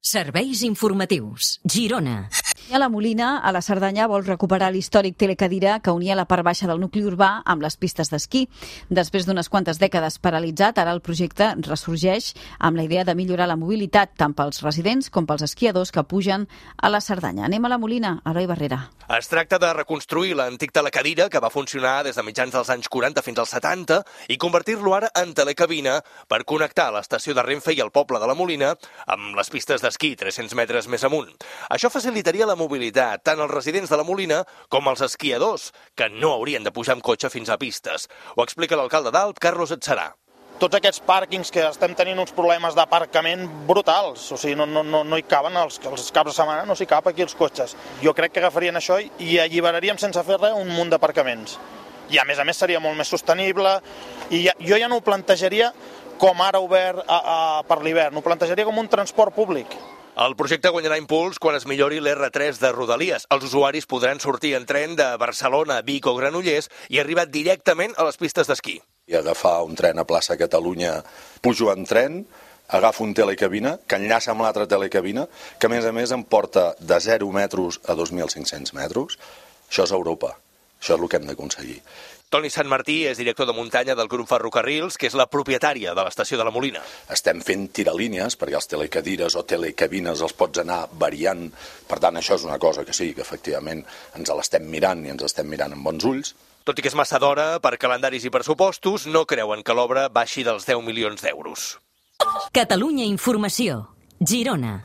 Serveis informatius. Girona. A la Molina, a la Cerdanya, vol recuperar l'històric telecadira que unia la part baixa del nucli urbà amb les pistes d'esquí. Després d'unes quantes dècades paralitzat, ara el projecte ressorgeix amb la idea de millorar la mobilitat tant pels residents com pels esquiadors que pugen a la Cerdanya. Anem a la Molina, Eloi Barrera. Es tracta de reconstruir l'antic telecadira que va funcionar des de mitjans dels anys 40 fins als 70 i convertir-lo ara en telecabina per connectar l'estació de Renfe i el poble de la Molina amb les pistes d'esquí 300 metres més amunt. Això facilitaria la mobilitat tant als residents de la Molina com als esquiadors, que no haurien de pujar amb cotxe fins a pistes. Ho explica l'alcalde d'Alp, Carlos Adserà. Tots aquests pàrquings que estem tenint uns problemes d'aparcament brutals, o sigui, no hi caben, els caps de setmana no s'hi cap aquí els cotxes. Jo crec que agafarien això i alliberaríem sense fer res un munt d'aparcaments. I a més seria molt més sostenible i jo ja no ho plantejaria com ara obert per l'hivern, ho plantejaria com un transport públic. El projecte guanyarà impuls quan es millori l'R3 de Rodalies. Els usuaris podran sortir en tren de Barcelona, Vic o Granollers i arribar directament a les pistes d'esquí. I agafar un tren a plaça Catalunya, pujo en tren, agafo un telecabina que enllaça amb l'altra telecabina, que a més em porta de 0 metres a 2.500 metres. Això és Europa, això és el que hem d'aconseguir. Toni Santmartí és director de muntanya del grup Ferrocarrils, que és la propietària de l'estació de la Molina. Estem fent tiralínies, perquè els telecadires o telecabines els pots anar variant. Per tant, això és una cosa que sí, que efectivament ens l'estem mirant i ens estem mirant amb bons ulls. Tot i que és massa d'hora, per calendaris i pressupostos, no creuen que l'obra baixi dels 10 milions d'euros. Catalunya Informació. Girona.